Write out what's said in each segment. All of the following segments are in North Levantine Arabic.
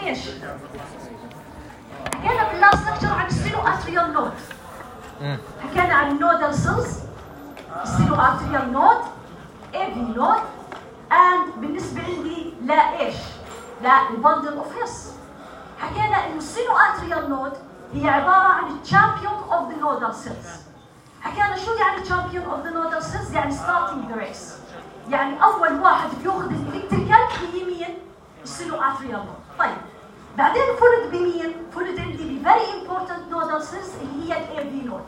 ايش؟ حكينا باللاست لكتشر عن السينو اتريال نود. حكينا عن النودال سيلز، السينو اتريال نود، اي في نود، and بالنسبه عندي لا ايش؟ لا البندل اوف هيس. حكينا انه السينو اتريال نود هي عباره عن الشامبيون اوف ذا نودال سيلز. حكينا شو يعني الشامبيون اوف ذا نودال سيلز؟ يعني ستارتنج ذا ريس. يعني اول واحد بياخذ الالكتريكال هي مين؟ السينو اتريال نود. طيب بعدين فولد بمين؟ فولد عندي بفيري امبورتنت نودال سيلز اللي هي الاي في نود.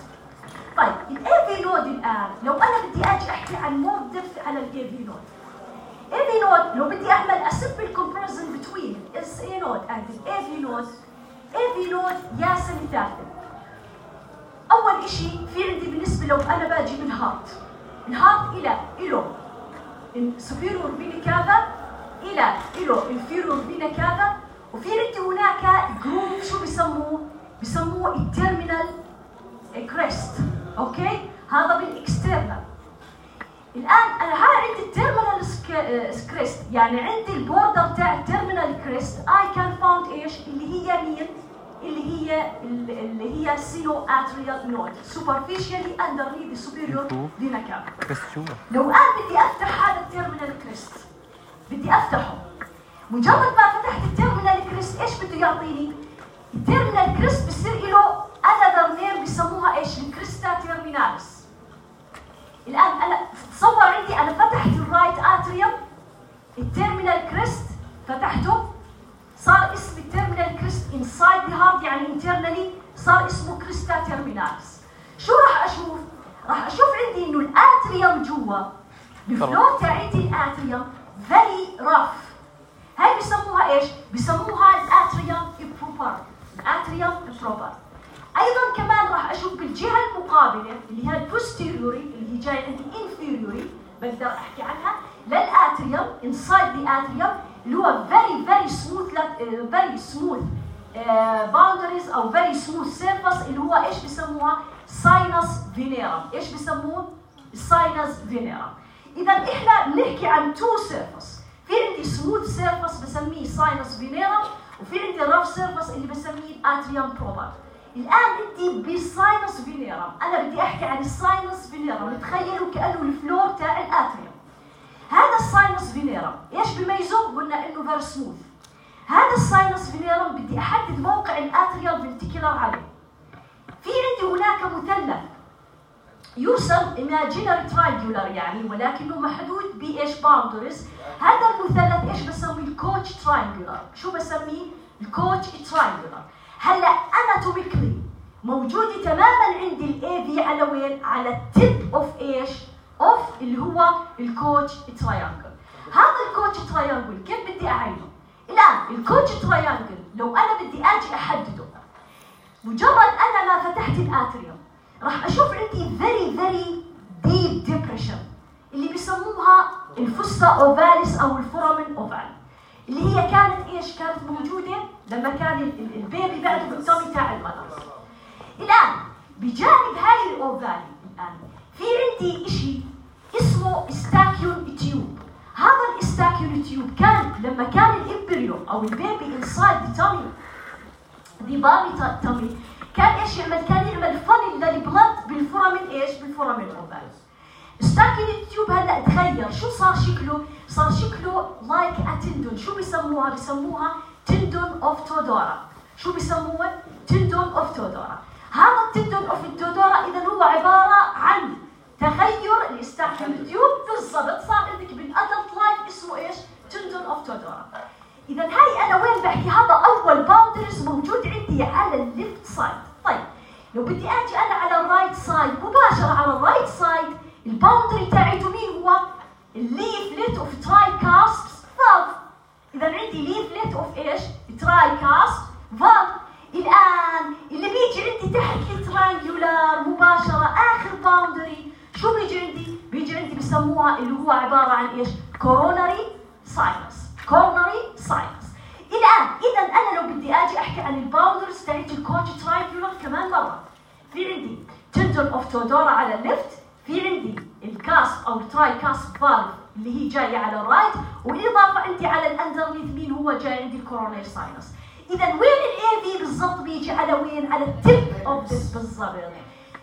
طيب الاي في نود الان لو انا بدي اجي احكي عن مور ديبث على الاي في نود. الاي في نود لو بدي اعمل a simple comparison between SA node and the AV node. AV node يا سنتات. اول شيء في عندي بالنسبه لو انا باجي من الهارت له superior vena cava له inferior vena cava، وفي عندي هناك جروب شو بسموه التيرمينال كريست. اوكي هذا بالاكسترنال. الان انا عندي التيرمينال كريست، يعني عندي البوردر تاع التيرمينال كريست اي كان فاوند ايش اللي هي مين؟ اللي هي السينو اتريال نود سوبرفيشالي اندرنيث ذا سوبيريور فينا كافا. لو انا بدي افتح هذا التيرمينال كريست، بدي افتحه، مجرد ما فتحت التيرمينال كريست ايش بده يعطيني؟ التيرمينال كريست بصير له انذر نيم بسموها ايش؟ الكريستا تيرميناليس. الان انا تصور عندي انا فتحت الرايت اتريوم، التيرمينال كريست فتحته، صار اسم التيرمينال كريست انسايد ذا هارت، يعني انترنالي صار اسمه كريستا تيرميناليس. شو راح اشوف؟ راح اشوف عندي انه الاتريوم جوا الفلو تاعتي الاتريوم فيري راف. هاي بسموها ايش؟ بسموها الاتريوم امبروبر. الاتريوم امبروبر. ايضا كمان راح اشوف بالجهه المقابله اللي هي البوستيريوري اللي هي جايه عندي انفيريوري، بقدر احكي عنها للاتريوم انسايد ذا اتريوم اللي هو فيري سموث باوندريز او فيري سموث سيرفس اللي هو ايش بسموها؟ ساينس فينيرم. ايش بسموه؟ الساينس فينيرم. اذا احنا بنحكي عن تو سيرفس، في عندي سموث سيرفس بسميه ساينس فينيرم، وفي عندي راف سيرفس اللي بسميه الاتريوم بروبر. الان انت بالساينس فينيرم، انا بدي احكي عن الساينس فينيرم، تخيلوا كانه الفلور تاع الاتريوم. هذا الساينس فينيرم ايش بيميزه؟ قلنا انه فيري سموث. هذا الساينس فينيرم بدي احدد موقع الاتريال فنتيكولار عليه. في عندي هناك مثلث يرسم imaginary triangular يعني، ولكنه محدود بايش؟ باوندريز. هذا المثلث ايش بسميه؟ الكوتش تراينجولار. شو بسميه؟ الكوتش تراينجولار. هلا اناتوميكلي موجوده تماما عندي الاي في على وين؟ على التيب اوف ايش؟ اوف اللي هو الكوتش تراينجل. هذا الكوتش تراينجل كيف بدي اعينه؟ الان الكوتش تراينجل لو انا بدي اجي احدده، مجرد انا ما فتحت الاتريوم راح اشوف عندي فيري ديب ديبريشن اللي بيسموها الفوستا اوفاليس او الفورامين اوفال، اللي هي كانت ايش؟ كانت موجوده لما كان البيبي بعده بالتومي تاع المدر. الان بجانب هاي الاوفالي الان في عندي شيء اسمه استاكيون تيوب. هذا الاستاكيون تيوب كان لما كان الامبريو او البيبي انسايد ذا تامي كان ايش يعمل؟ كان يعمل فن للبلد بالفورامين ايش؟ بالفورامين اوفال. استاكيون تيوب هلا تغير، شو صار شكله؟ صار شكله لايك اتندون. شو بسموها؟ بسموها تندون اوف تودورا. شو بسموه؟ تندون اوف تودورا. هذا التندون اوف تودورا اذا هو عباره عن تغير الاستاكيون تيوب بالضبط، صار عندك بالادلت لايف اسمه ايش؟ تندون اوف تودورا. اذا هاي انا وين بحكي؟ هذا اول باوندريز موجود عندي على الليفت سايد. طيب لو بدي اجي انا على الرايت سايد مباشره، على الرايت سايد الباوندري تاعته مين هو؟ الليفلت اوف تراي كاست فالف. اذا عندي ليفلت اوف ايش؟ تراي كاست فالف. الان اللي بيجي عندي تحت الترانجولار مباشره اخر باوندري شو بيجي عندي؟ بيجي عندي بسموها اللي هو عباره عن ايش؟ كوروناري ساينس. كوروناري ساينس. الان اذا انا لو بدي اجي احكي عن الباوندرز تاعت الكوتش تراينجولار كمان مره، في عندي تندون اوف تودورا على الليفت، في عندي الكاسب او التراي كاسب فالف اللي هي جايه على الرايت، والاضافه عندي على الاندرنيث مين هو؟ جاي عندي الكوروناري ساينس. اذا وين الاي في بالضبط بيجي على وين؟ على التب اوف ذس بالضبط.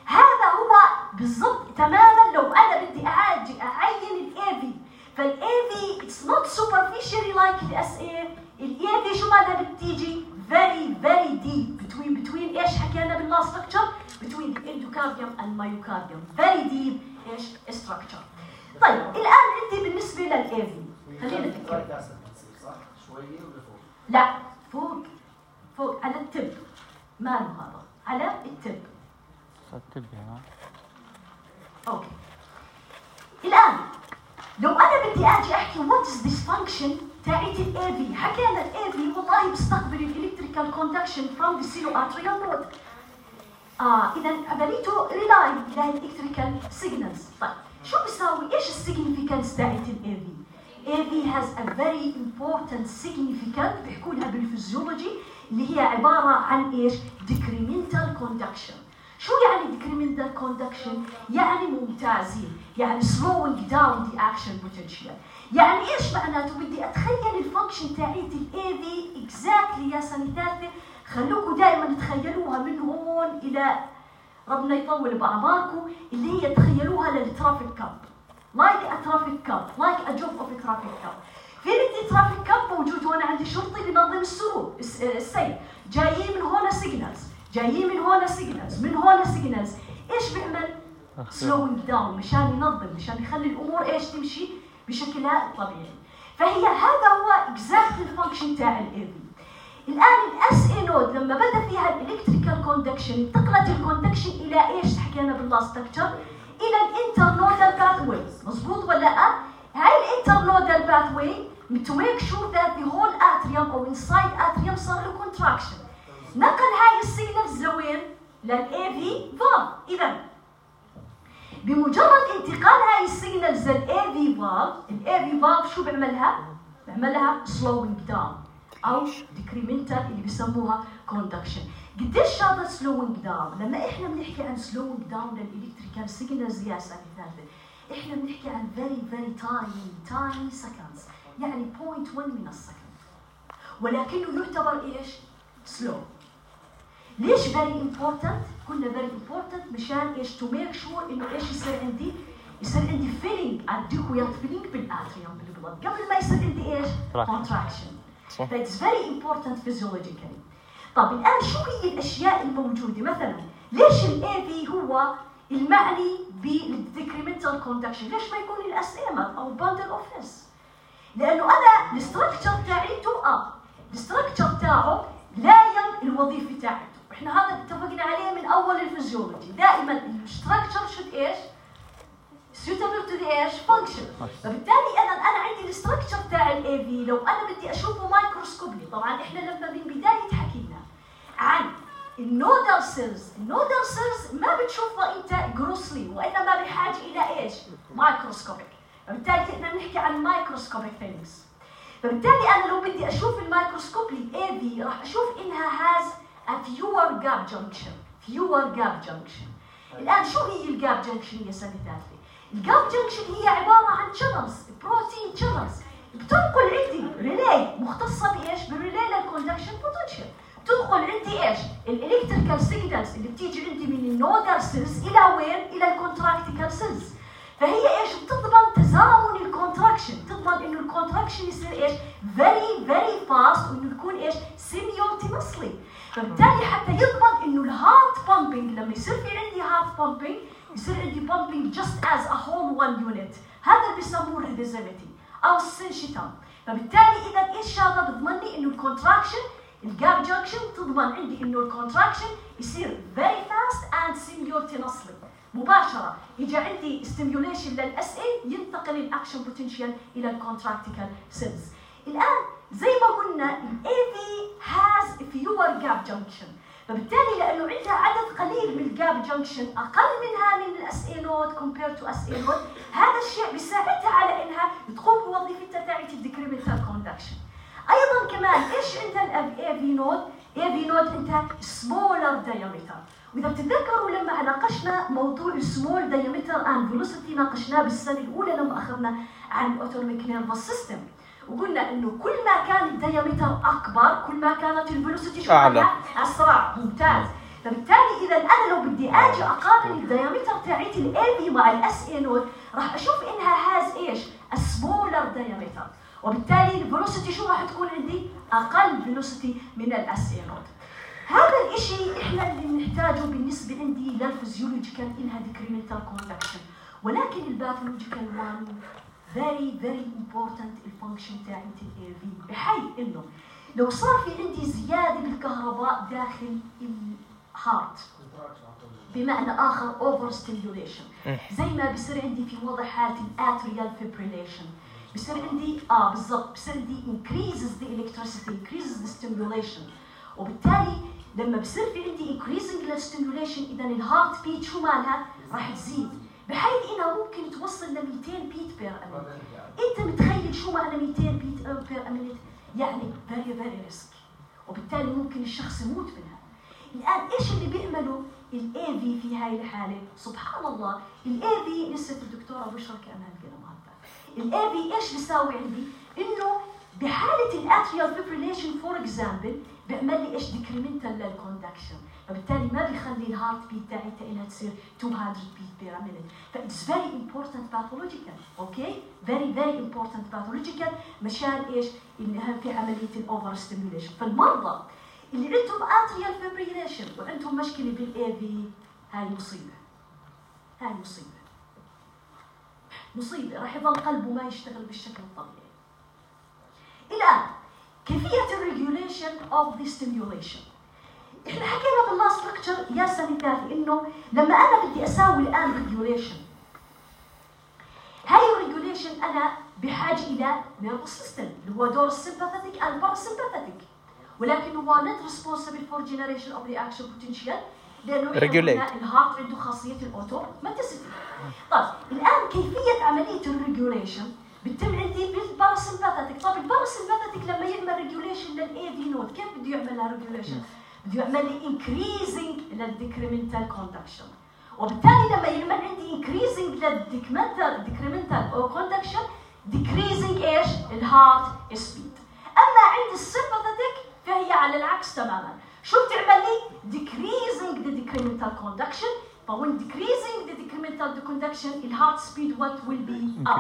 هذا هو بالضبط تماما لو انا بدي اعين الاي في. فالاي في اتس نوت سوبرفيشالي لايك الاس اي. الاي في شو مالها بتيجي very deep between ايش حكينا باللا ستراكشر between the endocardium and myocardium very deep ايش structure. طيب الان عندي بالنسبه للاي في خلينا نتكلم صح شويه ولا فوق؟ لا فوق على التب. ماله هذا على التب. التب هنا. اوكي الان لو انا بدي اجي احكي وات از ذيس فانكشن تاعت الاي في. حكينا الاي في والله بيستقبل الالكتريكال كوندكشن فروم ذا سينواتريال نود. اذا عمليته ريلاي على الالكتريكال سيجنالز. طيب شو بيساوي؟ ايش السيجنيفيكانس تاعت الاي في؟ الاي في هاز ا فيري امبورتنت سيجنيفيكانت بيحكوا لها بالفيزيولوجي اللي هي عباره عن ايش؟ ديكريمنتال كوندكشن. شو يعني decremental conduction؟ يعني ممتازين، يعني slowing down the action potential. يعني ايش معناته؟ بدي اتخيل الفانكشن تاعت الاي في اكزاكتلي يا سنه ثالثه. خلوكم دائما تخيلوها من هون الى ربنا يطول باعماركم، اللي هي تخيلوها للترافيك كاب. لايك ا ترافيك كاب، لايك ا جوب اوف ترافيك كاب. في عندي ترافيك كاب موجود هون، عندي شرطي بينظم السير، جايين من هون سيجنالز، جايين من هون سيجنالز، من هون سيجنالز. ايش بيعمل؟ سلوينج داون مشان ينظم، مشان يخلي الامور ايش تمشي بشكلها الطبيعي. فهي هذا هو اكزاكت الفانكشن تاع الاي في. الان الاس اي نود لما بدا فيها الالكتريكال كوندكشن انتقلت الكوندكشن الى ايش حكينا باللا ستراكشر؟ الى الانترنودال باثوي. مضبوط ولا لا؟ هاي الانترنودال باثوي to make sure that the whole atrium او inside atrium صار له contraction. نقل هاي السيجنالز لوين؟ للاي في فالف. اذا بمجرد انتقال هاي السيجنالز للاي في فالف، الاي في فالف شو بيعملها؟ بيعملها slowing down او decremental اللي بسموها conduction. قديش هذا slowing down؟ لما احنا بنحكي عن slowing down للالكتريكال سيجنالز يا سنه ثالثه، احنا بنحكي عن very tiny seconds، يعني 0.1 من السكند، ولكنه يعتبر ايش؟ slow. ليش very important؟ قلنا very important مشان ايش؟ to make sure انه ايش يصير عندي؟ يصير عندي feeling adequate feeling بالاتريوم بالبلد قبل ما يصير عندي ايش؟ contraction. That's very important physiologically. طب الان شو هي الاشياء الموجوده؟ مثلا ليش الاي في هو المعني بالديكريمنتال كوندكشن؟ ليش ما يكون الاس ام او باندل اوفيس؟ لانه انا الستراكشر تاعيته الستراكشر تاعه لايم الوظيفه تاعته. احنا هذا اتفقنا عليه من اول الفيزيولوجي، دائما الستراكشر شود ايش؟ suitable to the ايش؟ function. فبالتالي انا عندي الستراكشر تاع الاي في لو انا بدي اشوفه مايكروسكوبي. طبعا احنا لما من بدايه حكينا عن النودال سيلز ما بتشوفها انت جروسلي، وانما بحاجه الى ايش؟ مايكروسكوبيك. فبالتالي احنا بنحكي عن مايكروسكوبيك ثينجز. فبالتالي انا لو بدي اشوف الميكروسكوب الاي في راح اشوف انها هاز a fewer gap junction. الان شو هي الجاب جنكشن يا سنه ثالثه؟ الجاب جنكشن هي عباره عن channels، بروتين channels بتنقل عندي ريلي مختصه بايش؟ بالريلي للكوندكشن بوتنشال. تدخل عندي ايش؟ الالكتريكال سيجنالز اللي بتيجي عندي من النودال سيلز الى وين؟ الى الكونتراكتيكال سيلز. فهي ايش؟ بتضمن تزامن الكونتراكشن، تضمن انه الكونتراكشن يصير ايش؟ very fast، وانه يكون ايش؟ simultaneously. فبالتالي حتى يضمن انه الهارت بامبينج لما يصير في عندي هارت بامبينج يصير عندي بامبينج just as a whole one unit. هذا اللي بيسموه الريفيزيبيتي او السنشيتام. فبالتالي اذا ايش هذا؟ بضمن لي انه الكونتراكشن الجاب جنكشن تضمن عندي انه الكونتراكشن يصير very fast and simultaneously مباشره. يجي عندي ستيميوليشن للاس اي ينتقل الاكشن بوتنشال الى الكونتراكتيكال سيلز. الان زي ما قلنا الاي في هاز فيور جاب جنكشن، فبالتالي لانه عندها عدد قليل من الجاب جنكشن اقل منها من الاس اي نود كومبير تو اس اي نود، هذا الشيء بيساعدها على انها تقوم بوظيفتها تاعت الديكريمنتال كوندكشن. ايضا كمان ايش عندها الاي في نود؟ اي في نود عندها سمولر دايمتر. واذا بتتذكروا لما ناقشنا موضوع السمول دايمتر اند فيلوسيتي ناقشناه بالسنه الاولى لما اخذنا عن الاوتونوميك نيرفس سيستم، وقلنا انه كل ما كان الديامتر اكبر كل ما كانت الفيلوسيتي أعلى. اسرع. ممتاز. فبالتالي اذا انا لو بدي اجي اقارن الديامتر تاعت الاي في مع الاس اي نود راح اشوف انها هاز ايش؟ سمولر ديامتر، وبالتالي الفيلوسيتي شو راح تكون عندي؟ اقل فيلوسيتي من الاس اي نود. هذا الشيء احنا اللي بنحتاجه بالنسبه عندي للفيزيولوجيكال انها ديكريمنتال كوندكشن، ولكن الباثولوجيكال وان very important الفانكشن تاعت الاي في، بحيث انه لو صار في عندي زياده بالكهرباء داخل الهارت بمعنى اخر اوفر ستيميوليشن، زي ما بصير عندي في وضع حاله الاتريال فيبريليشن، بصير عندي بالضبط بصير عندي increases the electricity increases the stimulation، وبالتالي لما بصير في عندي increasing the stimulation اذا الهارت بيت شو مالها؟ راح تزيد بحيث انها ممكن توصل ل 200 بيت بير امينت. انت متخيل شو معنى 200 بيت بير امينت؟ يعني very risk، وبالتالي ممكن الشخص يموت منها. الان ايش اللي بيعمله الاي في هاي الحاله؟ سبحان الله الاي في لسه الدكتوره بشرى كانها القلم هذا. الاي في ايش بيساوي عندي؟ انه بحاله الاتريال فيبريليشن فور اكزامبل بيعمل لي ايش؟ ديكريمنتال للكوندكشن، فبالتالي ما بيخلي الهارت بيت تاعتها انها تصير 200 بيت بير مينيت. فإتس فيري امبورتنت باثولوجيكال، اوكي؟ فيري امبورتنت باثولوجيكال مشان ايش؟ انها في عمليه الاوفر ستيميوليشن. فالمرضى اللي عندهم اتريال فيبريليشن وعندهم مشكله بالاي في هاي مصيبه راح يظل قلبه ما يشتغل بالشكل الطبيعي. الان كيفيه الريجوليشن اوف ذا ستيميوليشن. احنا حكينا باللاست لكتشر يا سنتاتي انه لما انا بدي اساوي الان ريجوليشن، هاي الريجوليشن انا بحاجه الى نيرفس سيستم اللي هو دور السمباثيك اند باراسمباثيك، ولكن هو not responsible for generation of reaction potential لانه الهارت عنده خاصيه الاوتوماتيسيتي. طيب الان كيفيه عمليه الريجوليشن بتتم عندي بالباراسمباثيك. طب الباراسمباثيك لما يعمل ريجوليشن للاي في نود كيف بده يعملها ريجوليشن؟ بده يعمل لي increasing للديكريمنتال كوندكشن، وبالتالي لما يعمل عندي increasing للديكريمنتال كوندكشن decreasing ايش؟ الهارت سبيد. اما عند السمباثيك فهي على العكس تماما. شو بتعمل لي؟ decreasing the decremental conduction. فوين decreasing the decremental conduction الهارت سبيد what will be up.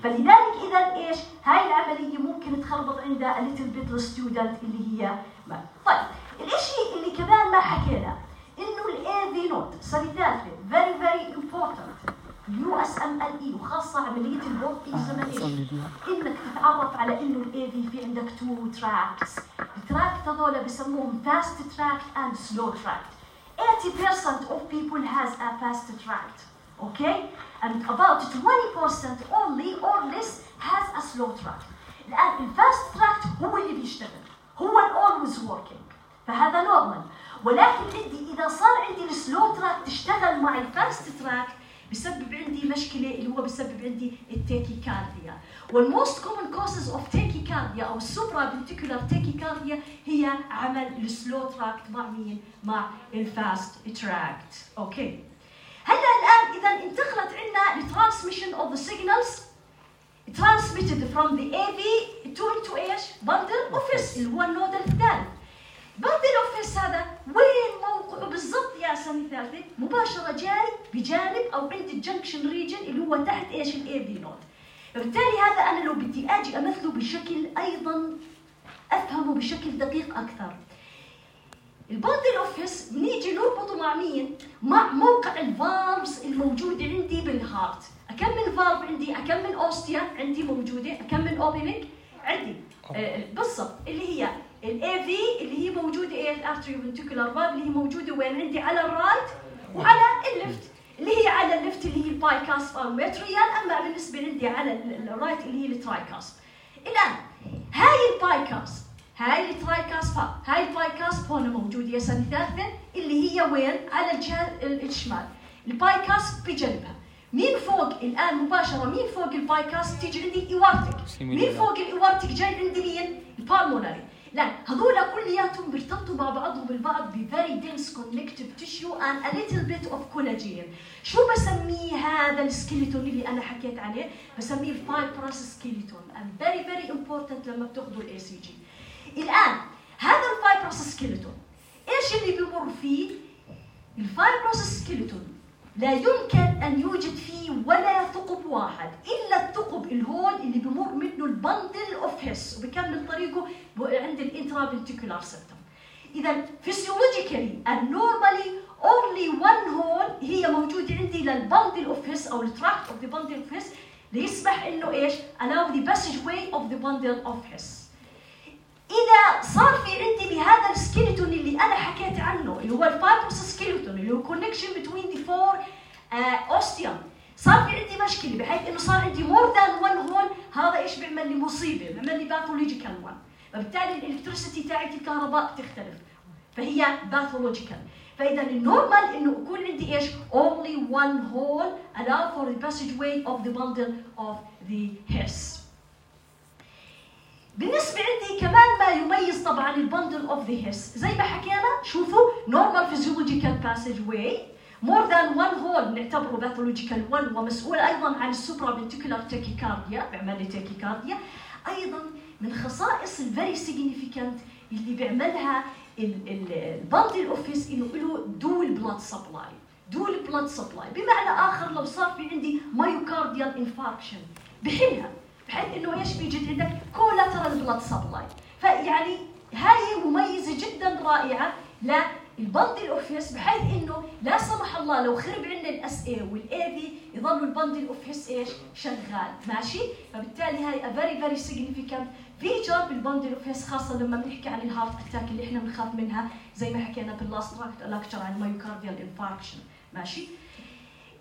فلذلك اذا ايش؟ هاي العمليه ممكن تخربط عندها a little bit الستودنت اللي هي ما. طيب الاشي اللي كمان ما حكينا انه الاي في نود ساليداتري very important USMLE وخاصه عمليه البورد اكزامينيشن انك تتعرف على انه الاي في عندك 2 تراكس. التراكت هذول بسموهم fast tract and slow tract. 80% of people has a fast tract, okay, and about 20% only or less has a slow tract. الان الفاست تراكت هو اللي بيشتغل، هو always working، فهذا نورمال. ولكن عندي اذا صار عندي السلو تراك تشتغل مع الفاست تراك بسبب عندي مشكله اللي هو بسبب عندي التاكيكارديا. والموست كومن كوزز اوف تاكيكارديا او السوبرا فنتيكولار تاكيكارديا هي عمل السلو تراك مع مين؟ مع الفاست تراكت. اوكي. هلا الان اذا انتقلت عندنا الترانسميشن اوف ذا سيجنالز transmitted from the AV to ايش؟ bundle of His اللي هو النود الثالث. bundle of His هذا وين موقعه بالضبط يا سنة ثالثة؟ مباشرة جاي بجانب او عند الجنكشن ريجن اللي هو تحت ايش؟ الاي في نود. فبالتالي هذا انا لو بدي اجي امثله بشكل ايضا افهمه بشكل دقيق اكثر. البندل اوف هيس بنيجي نربطه مع مين؟ مع موقع الفالفز الموجوده عندي بالهارت. كم من فالف عندي؟ كم من اوستيا عندي موجوده؟ كم من اوبننج عندي؟ بالضبط اللي هي الاي في اللي هي موجوده ايه؟ الارتريوفنتيكولار فالف اللي هي موجوده وين عندي؟ على الرايت وعلى الليفت، اللي هي على الليفت اللي هي البايكاسب او المتريال، اما بالنسبه عندي على الرايت اللي هي الترايكاسب. الان هاي البايكاسب هاي الترايكاسب هاي البايكاسب هون موجوده يا سنه ثالثه اللي هي وين؟ على الجهه الشمال. البايكاسب بجنبها مين فوق الان مباشره؟ مين فوق البايكاسب؟ تيجي عندي ايوارتك. مين فوق الايوارتك؟ جاي عندي مين؟ البالمونري. لا هذول كلياتهم بيرتبطوا مع بعضهم البعض ب very dense connective tissue and a little bit of collagen. شو بسميه هذا السكيلتون اللي انا حكيت عليه؟ بسميه fibrous skeleton and very very important لما بتاخذوا الاي سي جي. الان هذا الفايبروس سكيلتون ايش اللي بيمر فيه؟ الفايبروس سكيلتون لا يمكن ان يوجد فيه ولا ثقب واحد الا الثقب الهون اللي بمر منه البندل اوف هيس وبكمل طريقه عند الانترافنتيكولار سيستم. اذا فيسيولوجيكالي النورمالي اونلي وان هول هي موجوده عندي للبندل اوف هيس او التراكت اوف ذا بندل اوف هيس ليسمح انه ايش؟ allow the passageway of the bundle of his. إذا صار في عندي بهذا السكيلتون اللي أنا حكيت عنه اللي هو الفايبروس سكيلتون اللي هو connection between the four osteum، صار في عندي مشكلة بحيث إنه صار عندي more than one hole، هذا إيش بيعمل لي مصيبة، بيعمل لي باثولوجيكال one، فبالتالي الإلكتريسيتي تاعت الكهرباء بتختلف، فهي باثولوجيكال. فإذا النورمال إنه يكون عندي إيش؟ only one hole allow for the passageway of the bundle of the hairs. بالنسبة عندي كمان ما يميز طبعا البندل اوف ذا هيس زي ما حكينا، شوفوا نورمال فيزيولوجيكال باسج واي مور ذان وان هول نعتبره باثولوجيكال 1 ومسؤول ايضا عن السوبرا فنتيكولار تاكيكارديا، بيعمل لي تاكيكارديا. ايضا من خصائص الفيري سيجنيفيكانت اللي بيعملها البندل اوف هيس انه له دول بلاد سبلاي، دول بلاد سبلاي بمعنى اخر لو صار في عندي مايوكارديال انفاركشن بحلها بحيث انه ايش بيجي عندك كولاترال بلاد سبلاي. فيعني هاي مميزه جدا رائعه للبندل اوف هيس بحيث انه لا سمح الله لو خرب عندنا الاس اي والاي في يضلوا البندل اوف هيس ايش؟ شغال، ماشي؟ فبالتالي هاي ا فيري فيري سيجنيفيكانت فيتشر بالبندل اوف هيس، خاصه لما بنحكي عن الهارت اتاك اللي احنا بنخاف منها زي ما حكينا باللاست لاكتشر عن مايوكارديال انفاركشن، ماشي؟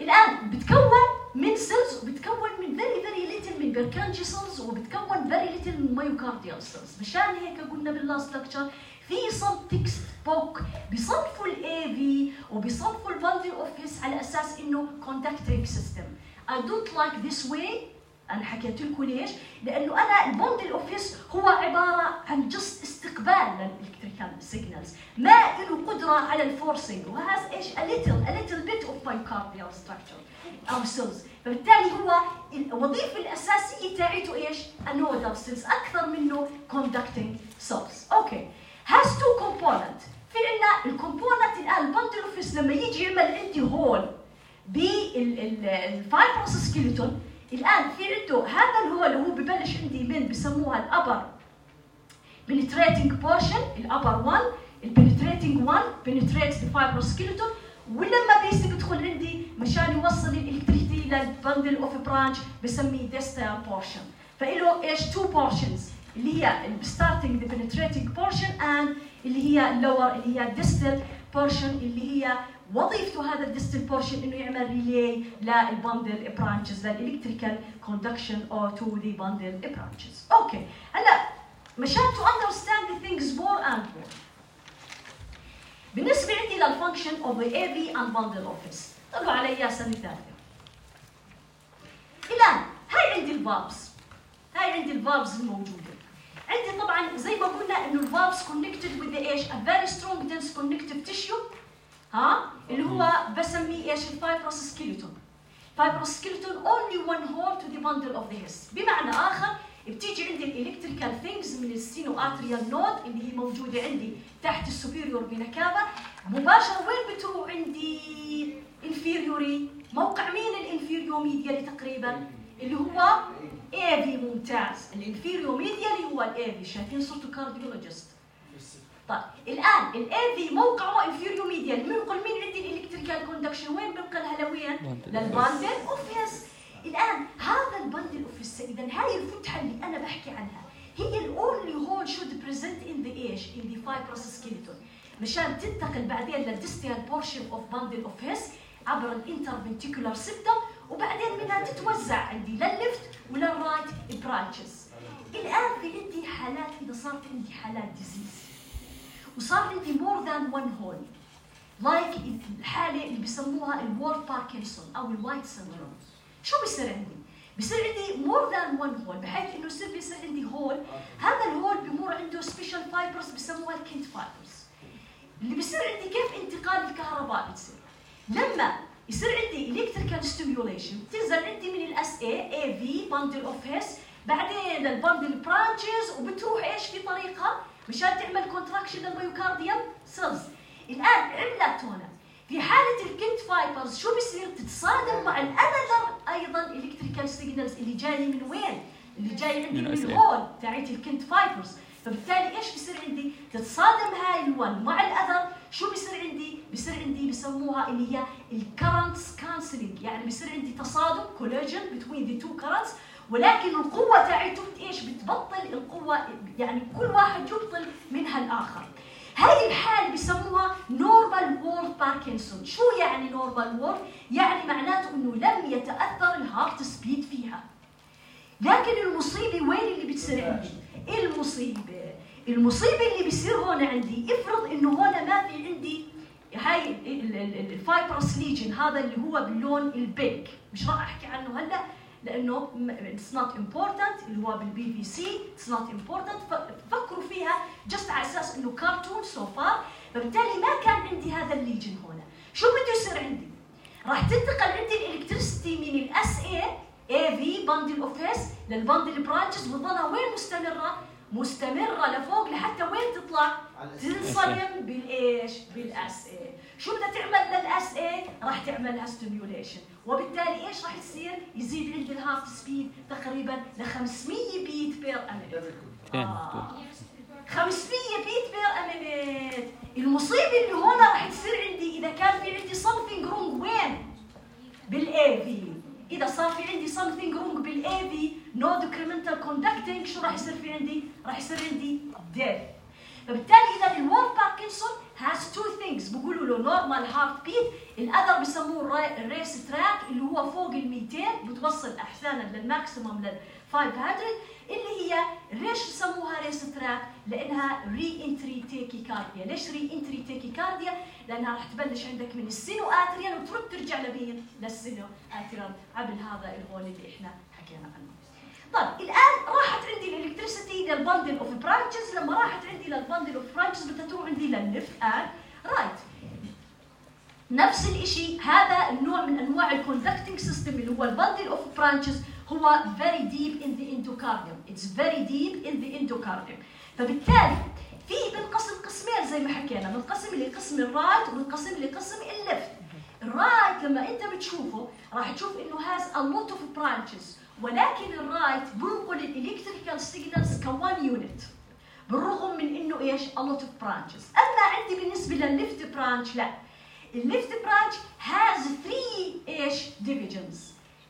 الآن بتكون من سيلز وبتكون من very little من بيركانجي سيلز وبتكون very little من مايوكارديال سيلز. مشان هيك قلنا باللاست لكتشر في some تكست بوك بيصنفوا الاي في وبيصنفوا البندل اوف هيس على اساس انه conducting system. I don't like this way. انا حكيت لكم ليش؟ لانه انا البندل اوف هيس هو عباره عن جست استقبال للالكتريكال سيجنالز، ما له قدره على الفورسينج وهذا ايش؟ a little bit of myocardial structure او سيلز، فبالتالي هو الوظيفه الاساسيه تاعته ايش؟ النودال سيلز اكثر منه conducting cells. اوكي، has two component. في عندنا الكومبوننت الان البندل اوف هيس لما يجي يعمل عندي هول بالفايبروس سكيلتون، الآن في عنده هذا الهول اللي هو ببلش عندي من بسموها الأبر penetrating portion، الأبر 1 البنتريتنج 1 penetrates the fibrous skeleton، ولما بيدخل عندي مشان يوصل الإلكتريسيتي للبندل اوف برانش بسميه distal portion. فإله ايش؟ two portions اللي هي starting the penetrating portion and اللي هي lower اللي هي distal portion اللي هي وظيفته هذا الديستال بورشن انه يعمل ريلي للبندل برانشز للالكتريكال كوندكشن او تو ذا بندل برانشز. اوكي، هلا مشان تو اندرستاند ذا ثينجز مور اند مور بالنسبه عندي للفانكشن اوف ذا اي في اند بندل اوفيس، طلعوا علي سنه ثالثه. الان هاي عندي الفالفز، هاي عندي الفالفز الموجوده عندي. طبعا زي ما قلنا انه الفالفز كونكتد وذ ايش؟ ا فيري سترونج دنس كونكتيف تيشو، اللي هو بسميه ايش؟ الفايبروس سكيلتون. فايبروس سكيلتون only one hole to the bundle of the his. بمعنى اخر بتيجي عندي الالكتريكال ثينجز من السينو اتريال نود اللي هي موجوده عندي تحت السوبيريور فينا كافا، مباشره وين بتروح عندي؟ انفيريوري. موقع مين الانفيريو ميديالي تقريبا؟ اللي هو اي في. ممتاز، الانفيريو ميديالي هو الاي في. شايفين صرتوا كارديولوجيست. طيب الان الاي في موقعه انفيريو ميديال، بنقل مين عندي الالكتريكال كوندكشن وين بنقلها؟ لوين؟ للبندل اوف هيس. الان هذا البندل اوف هيس، اذا هاي الفتحه اللي انا بحكي عنها هي الاونلي هول شود بريزنت ان ذا ايش؟ ان ذا فايبروس سكيلتون، مشان تنتقل بعدين للديستال بورشن اوف بندل اوف هيس عبر الانترفنتيكولار سيبتم، وبعدين منها تتوزع عندي للليفت وللرايت برانشز. الان في عندي حالات، اذا صارت عندي حالات ديزيز وصار عندي more than one hole لايك الحالة اللي بسموها الوورد باركنسون أو الوايت سندروم، شو بيصير عندي؟ بصير عندي more than one hole، بحيث انه بيصير عندي هول، هذا الهول بمر عنده سبيشال فايبرز بسموها الكنت فايبرز. اللي بصير عندي كيف انتقال الكهرباء بتصير؟ لما يصير عندي الكتريكال ستيميوليشن بتنزل عندي من الاس اي في باندل اوف هيس، بعدين الباندل برانشز وبتروح ايش في طريقها مشان تعمل كونتراكشن للميوكارديوم سيلز. الان عملت هنا في حاله الكنت فايبرز شو بصير؟ تتصادم مع الانذر ايضا الكتريكال سيجنالز اللي جاي من وين؟ اللي جاي عندي من الهول تاعت الكنت فايبرز، فبالتالي ايش بصير عندي؟ تتصادم هاي الون مع الاذر، شو بصير عندي؟ بصير عندي بسموها اللي هي الكرنتس كانسلينج، يعني بصير عندي تصادم كوليجن بتوين ذا تو كرنتس، ولكن القوه تاعتهم ايش؟ بتبطل القوه، يعني كل واحد يبطل منها الاخر. هاي الحالة بسموها نورمال وورد باركنسون. شو يعني نورمال وورد؟ يعني معناته انه لم يتأثر الهارت سبيد فيها. لكن المصيبة وين اللي بتصير عندي؟ المصيبة اللي بيصير هون عندي، افرض انه هون ما في عندي هاي الفايبرس ليجن، هذا اللي هو باللون البينك، مش راح احكي عنه هلا لانه it's not important، اللي هو بالبي في سي it's not important، فكروا فيها جست على اساس انه كارتون سو فار. فبالتالي ما كان عندي هذا الليجن هون. شو بده يصير عندي؟ راح تنتقل عندي الالكتريستي من الاس اي في باندل اوف هيس للباندل برانشز، وتضلها وين مستمره لفوق لحتى وين تطلع؟ تنصدم بالايش؟ بالاس اي. شو بدها تعمل للاس اي؟ راح تعمل لها ستيميوليشن، وبالتالي ايش راح يصير؟ يزيد عندي الهارت سبيد تقريبا ل 500 بيت بير امينيت. 500 بيت بير امينيت. المصيبه اللي هون راح تصير عندي اذا كان في عندي something wrong وين؟ بالاي في. اذا صار في عندي something wrong بالاي في no decremental conducting، شو راح يصير في عندي؟ راح يصير عندي death. فبالتالي اذا الوورد باركنسون has two things، بقولوا له normal heart beat، الاذر بسموه الريس تراك اللي هو فوق ال 200 بتوصل احيانا للماكسيموم لل 500، اللي هي ليش بسموها ريس تراك؟ لانها ري انتري تاكيكارديا. ليش ري انتري تاكيكارديا؟ لانها راح تبلش عندك من السينو اتريال وترد ترجع لمين؟ للسينو اتريال عبر هذا الهول اللي احنا حكينا عنه. طيب الان راحت عندي الالكتريسيتي للبندل اوف برانشز، لما راحت عندي للبندل اوف برانشز بدها تروح عندي للليفت اند رايت. نفس الشيء، هذا النوع من انواع الكوندكتنج سيستم اللي هو البندل اوف برانشز هو very deep in the endocardium. It's very deep in the endocardium. فبالتالي في بنقسم قسمين زي ما حكينا، بنقسم لقسم الرايت وبنقسم لقسم الليفت. الرايت لما انت بتشوفه راح تشوف انه has a lot of branches، ولكن الرايت بنقل الالكتريكال سيجنالز كوان يونت، بالرغم من انه ايش؟ a lot of branches. اما عندي بالنسبه للليفت برانش لا، الليفت برانش has 3 ايش؟ divisions،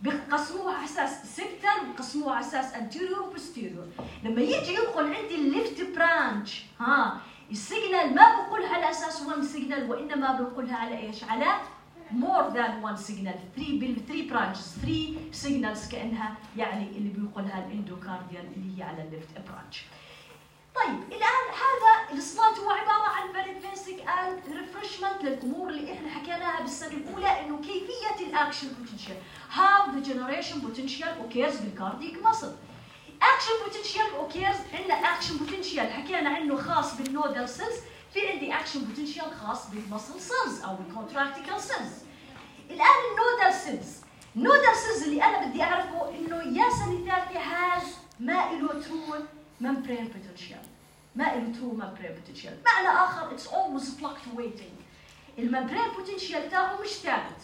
بقسموها على اساس سيبتال وبقسموها على اساس anterior وبوستيريور. لما يجي يدخل عندي الليفت برانش السيجنال ما بقولها على اساس 1 سيجنال، وانما بنقولها على ايش؟ على more than one signal. 3 branches 3 signals كأنها يعني اللي بيقولها الاندوكارديال اللي هي على الليفت برانش. طيب الآن هذا السلايد هو عبارة عن very basic and refreshment للأمور اللي احنا حكيناها بالسنة الأولى، إنه كيفية الأكشن بوتنشال. How the generation potential occurs بالكارديك muscle. Action potential occurs، عندنا action potential حكينا عنه خاص بالنودال سيلز، في عندي اكشن بوتنشال خاص بالمسل سيلز او بالكونتراكتيكال سيلز. الان النودال سيلز اللي انا بدي اعرفه انه يا سنه ثالثه هاز ما له ترو ممبرين بوتنشال، معنى اخر اتس اولويز فلكتويتنج. الممبرين بوتنشال تاعه مش ثابت،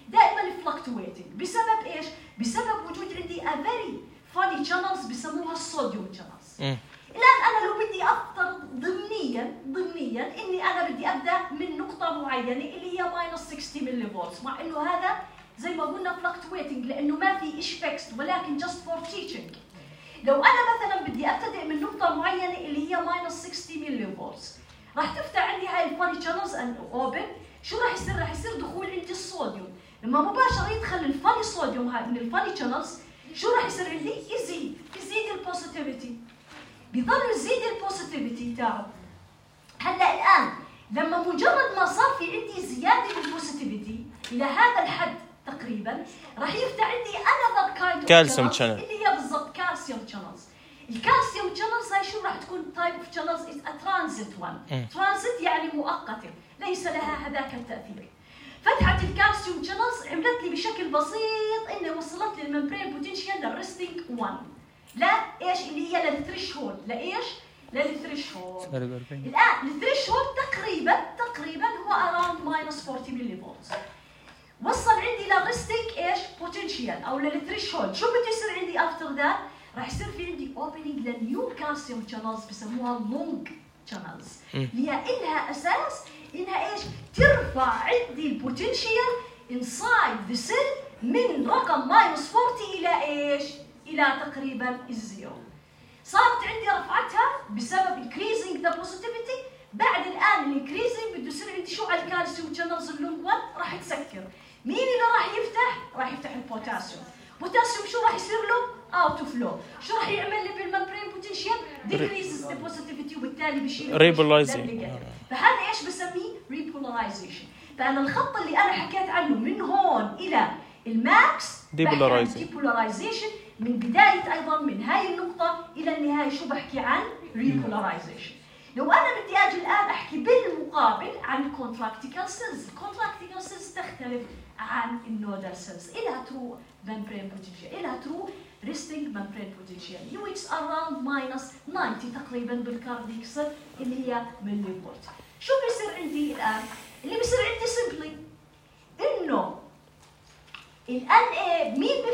دائما فلكتويتنج. بسبب ايش؟ بسبب وجود عندي ا فيري فاني شانلز بسموها الصوديوم شانلز. الآن أنا لو بدي أفترض ضمنيا إني أنا بدي أبدأ من نقطة معينة اللي هي -60 ملي فولت، مع إنه هذا زي ما قلنا fluctuating لأنه ما في إيش فيكست، ولكن just for teaching. لو أنا مثلا بدي أبتدئ من نقطة معينة اللي هي -60 ملي فولت، راح تفتح عندي هاي الفاني شانلز أند أوبن. شو راح يصير؟ راح يصير دخول عندي الصوديوم. لما مباشرة يدخل الفاني صوديوم هاي من الفاني شانلز، شو راح يصير عندي؟ يزيد البوزيتيفيتي، بيضل يزيد البوزيتيفيتي تاعه. هلا الان لما مجرد ما صار في عندي زياده بالبوزيتيفيتي الى هذا الحد تقريبا تقريبا راح يفتح عندي another kind of كالسيوم channels channel اللي هي بالضبط كالسيوم channels. الكالسيوم channels هاي شو راح تكون type of channels is a transit one. transit يعني مؤقتة ليس لها هذاك التأثير. فتحة الكالسيوم channels عملت لي بشكل بسيط إنه وصلت للممبرين بوتنشال للريستنج 1 لا إيش اللي هي للثريشولد لإيش؟ للثريشولد. الآن الثريشولد تقريبا هو around -40 ملي فولت. وصل عندي للريستنج إيش؟ بوتنشال أو للثريشولد. شو بده يصير عندي after that؟ راح يصير في عندي opening للنيو كالسيوم channels بسموها long channels اللي هي إلها أساس إنها إيش؟ ترفع عندي البوتنشال inside the cell من رقم -40 إلى إيش؟ إلى تقريبا الزيرو. صارت عندي رفعتها بسبب increasing the positivity. بعد الآن increasing بده يصير عندي شو على الكالسيوم channels اللونج 1 راح تسكر. مين اللي راح يفتح؟ راح يفتح البوتاسيوم. بوتاسيوم شو راح يصير له؟ out of flow. شو راح يعمل لي بالممبرين بوتنشال؟ decreases the positivity وبالتالي بشيل repolarizing. فهذا ايش بسميه؟ repolarization. فأنا الخط اللي أنا حكيت عنه من هون إلى الماكس depolarization من بداية أيضا من هاي النقطة إلى النهاية شو بحكي عن repolarization. لو أنا بدي أجي الآن أحكي بالمقابل عن contractical cells. contractical cells تختلف عن النودال cells. إلها true membrane potential إلها true resting membrane potential which around -90 تقريبا بالكارديك سيل اللي هي ملي فولت. شو بيصير عندي الآن؟ اللي بيصير عندي simply إنه الان اي مين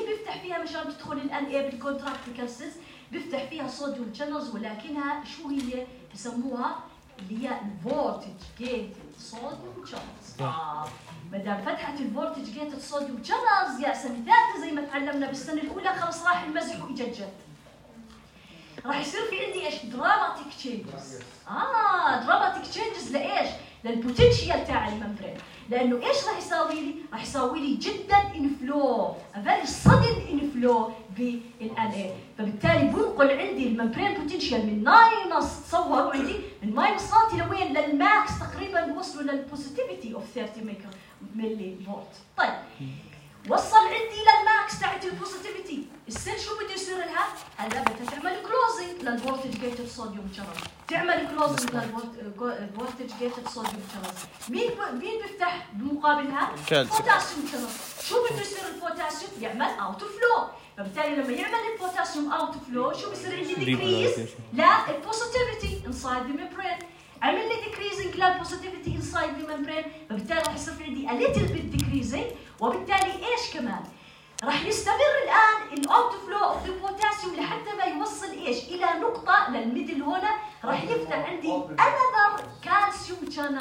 بيفتح فيها مشان تدخل الان اي بالكونتراكتيكال سيلز؟ بيفتح فيها صوديوم شانلز ولكنها شو هي بسموها اللي هي الفولتج جيتد صوديوم شانلز. ما دام فتحت الفولتج جيتد صوديوم شانلز يا سنه ثالثه زي ما تعلمنا بالسنه الاولى خلص راح المزح واجت جد. راح يصير في عندي ايش؟ دراماتيك تشينجز. دراماتيك تشينجز لايش؟ للبوتنشيال تاع الممبرين. لانه ايش راح يساوي لي؟ راح يساوي لي جدا انفلو، فيري سدن انفلو بالان اي، فبالتالي بنقل عندي الممبرين بوتنشيال من ماينس، تصوروا عندي من ماينس 30 لوين؟ للماكس تقريبا بوصلوا للبوزيتيفيتي اوف 30 ملي فولت. طيب وصل عندي للماكس تاعت البوزيتيفيتي، السيل شو بده يصير لها؟ هلا بدها تعمل كلوزنج للفولتج جيتد صوديوم شانل، تعمل كلوزنج للفولتج جيتد صوديوم شانل. مين بيفتح بمقابلها؟ بوتاسيوم شانل. شو بده يصير البوتاسيوم؟ يعمل اوت فلو، فبالتالي لما يعمل البوتاسيوم اوت فلو شو بصير عندي؟ ديكريز للبوزيتيفيتي انسايد ذا ممبرين، عمل لي ديكريزنج للبوزيتيفيتي انسايد ذا ممبرين، فبالتالي راح يصير في عندي a little bit decreasing، وبالتالي ايش كمان؟ راح يستمر الان الاوت فلو اوف البوتاسيوم لحتى ما يوصل ايش؟ الى نقطه للميدل هنا راح يفتح عندي another كالسيوم شانل.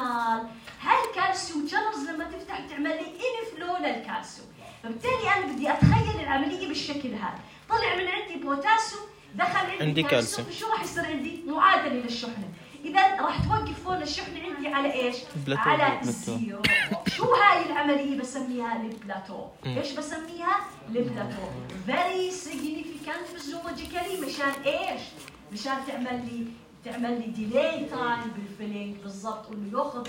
هاي الكالسيوم شانلز لما تفتح تعمل لي انفلو للكالسيوم، فبالتالي انا بدي اتخيل العمليه بالشكل هذا. طلع من عندي بوتاسيوم دخل عندي كالسيوم، شو راح يصير عندي؟ معادله للشحنه. إذا راح توقف هون الشحنة عندي على إيش؟ على الزيرو. شو هاي العملية بسميها؟ البلاتو. إيش بسميها؟ البلاتو. very significant physiologically مشان إيش؟ مشان تعمل لي delay time بالفيلينج بالضبط، إنه ياخذ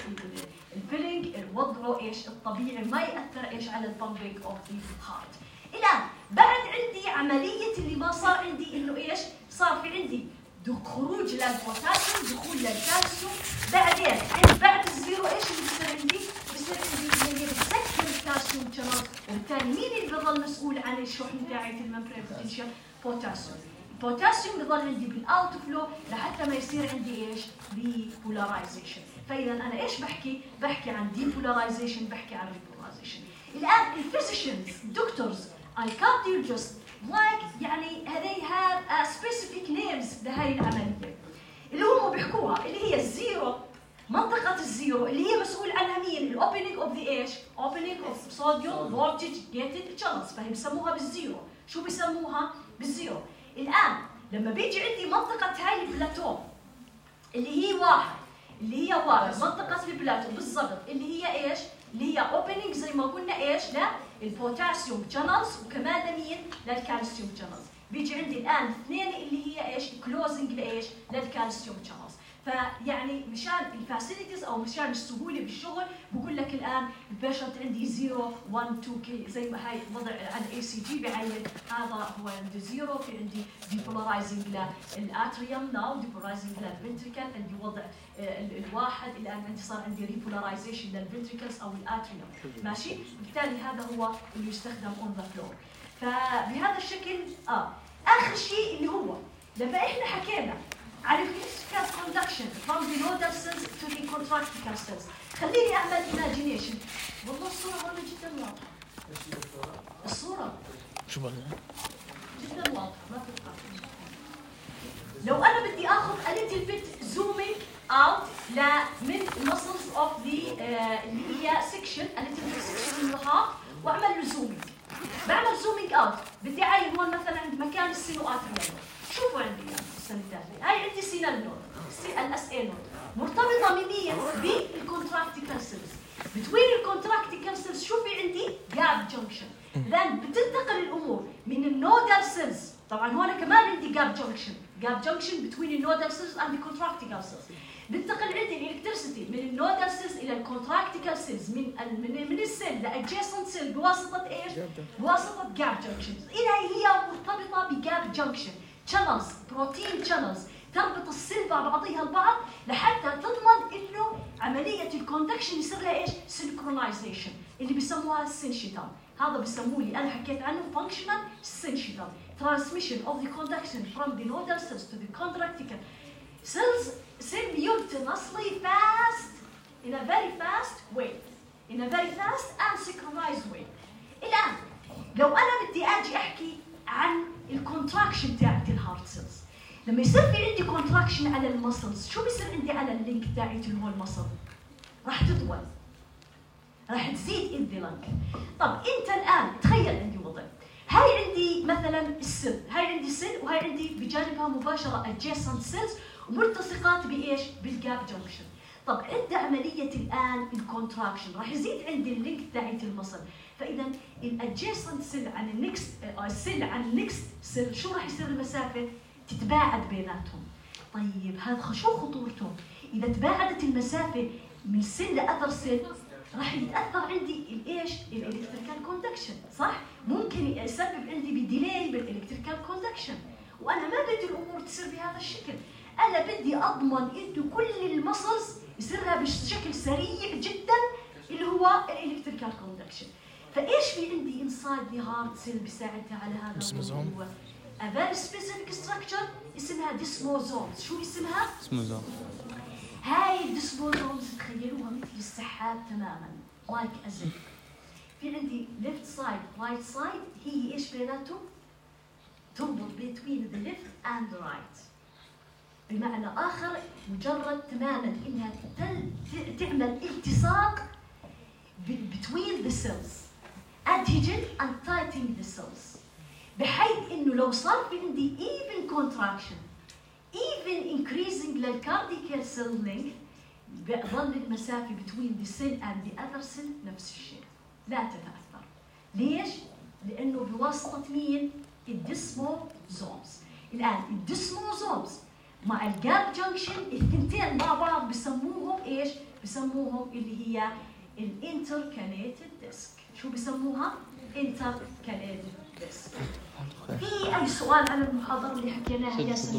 الفيلينج وضعه إيش؟ الطبيعي ما يأثر إيش على البامبينج أوف ذا هارت. الآن بعد عندي عملية اللي ما صار عندي إنه إيش؟ صار في عندي خروج للبوتاسيوم، دخول للكالسيوم، بعدين بعد الزيرو ايش اللي بيصير عندي؟ بيصير عندي اللي بتسكر الكالسيوم شانل، وبالتالي مين اللي بيظل مسؤول عن الشحن تاعت الممبرين بوتنشال؟ بوتاسيوم. البوتاسيوم بيظل عندي بالاوت فلو لحتى ما يصير عندي ايش؟ ديبولاريزيشن. فاذا انا ايش بحكي؟ بحكي عن ديبولاريزيشن، بحكي عن ريبولاريزيشن. الان الفيزيشنز، الدكتورز، الكارديولوجيست يعني they have specific names لهي العملية اللي هم بيحكوها، اللي هي الزيرو، منطقة الزيرو اللي هي مسؤول عنها مين؟ الأوبننج أوف ذا إيش؟ أوبننج أوف صوديوم فولتج جيتد شانلز، فهي بسموها بالزيرو. شو بسموها؟ بالزيرو. الآن لما بيجي عندي منطقة هاي البلاتو اللي هي واحد منطقة البلاتو بالضبط اللي هي إيش؟ اللي هي اوبننج زي ما قلنا ايش؟ للبوتاسيوم شانلز، وكمان لمين؟ للكالسيوم شانلز. بيجي عندي الان اثنين اللي هي ايش؟ كلوزنج لايش؟ للكالسيوم شانلز. فيعني مشان الفاسيلتيز او مشان السهوله بالشغل بقول لك الان البيشنت عندي 0 1 2 كي زي ما هي وضع عن اي سي جي بعين هذا هو عندي 0 في عندي ديبولارايزنج للاتريوم ناو ديبولارايزنج للفنتريكل عندي وضع الواحد الان عندي صار عندي ريبولاريزيشن للفنتريكلز او الاتريوم ماشي بالتالي هذا هو اللي يستخدم اون ذا فلور فبهذا الشكل اخر شيء اللي هو لما احنا حكينا على الكلاسيكال كوندكشن from the nodal cells to the contractical cells خليني اعمل imagination والله الصورة والله جدا واضحة الصورة شو بقى؟ جدا واضحة ما تتوقع لو انا بدي اخذ a little bit zooming out من muscles of the اللي هي section a little bit section من الهارت واعمل له zooming بعمل zooming out بدي اعين هون مثلا عند مكان السينواتريوم شوفوا عندي السنة الثالثة هاي عندي سينال نود الاس اي نود مرتبطة ميميا بالكونتراكتيكال سيلز بتوين الكونتراكتيكال سيلز شو في عندي جاب جنكشن لان بتنتقل الامور من النودال سيلز طبعا هون كمان عندي جاب جنكشن بتوين النودال سيلز اند الكونتراكتيكال سيلز بتنتقل عندي الالكتريسيتي من النودال سيلز الى الكونتراكتيكال سيلز من السيل لادجيسنت سيل بواسطة ايش؟ بواسطة جاب جنكشنز هي مرتبطة بجاب جنكشن channels بروتين channels تربط السيل مع بعضها البعض لحتى تضمن انه عمليه الكوندكشن يصير لها ايش؟ سينكرونايزيشن اللي بسموها السينشيتال هذا بسموه لي انا حكيت عنه فانكشنال سينشيتال transmission of the conduction from the nodal cells to the contractical cells simultaneously fast in a very fast way and synchronized way. الان لو انا بدي اجي احكي عن الكونتراكشن تاعت الهارت سيلز لما يصير في عندي كونتراكشن على المسلز شو بيصير عندي على اللينك تاعت اللي هو المسل راح تطول راح تزيد ان ذا لانج طب انت الان تخيل عندي وضع هاي عندي مثلا السيل هاي عندي سيل وهاي عندي بجانبها مباشره adjacent سيلز وملتصقات بايش بالجاب جنكشن طب عند عمليه الان الكونتراكشن راح يزيد عندي اللينك تاعت المسل فاذا الادجيسنت سيل عن النكست سيل عن النكست سيل شو راح يصير المسافه تتباعد بيناتهم طيب هذا شو خطورته اذا تباعدت المسافه من سيل لاذر سيل راح يتاثر عندي الايش الالكتريكال كوندكشن صح ممكن يسبب عندي بديلي بالالكتريكال كوندكشن وانا ما بدي الامور تصير بهذا الشكل انا بدي اضمن انه كل المسلز يصيرها بشكل سريع جدا اللي هو الالكتريكال كوندكشن فايش في عندي انسايد ذا هارت سيل بيساعدها على هذا الموضوع a very specific structure اسمها ديسموزومز شو اسمها؟ ديسموزوم هاي الديسموزومز تخيلوها مثل السحاب تماما like as if في عندي left side right side هي ايش بيناتهم؟ تربط between the left and the right بمعنى آخر مجرد تماما إنها تعمل التصاق between the cells adhesion and tightening the cells بحيث إنه لو صار في عندي even contraction even increasing للcardiac cell length بظل المسافة between the cell and the other cell نفس الشيء لا تتأثر ليش؟ لأنه بواسطة مين؟ الديسموزومز الآن الديسموزومز مع الجاب جنكشن الثنتين مع بعض بسموهم ايش؟ بسموهم اللي هي الانتركاليتد ديسك شو بسموها؟ انتركاليتد ديسك في اي سؤال على المحاضرة اللي حكيناها يا سمير؟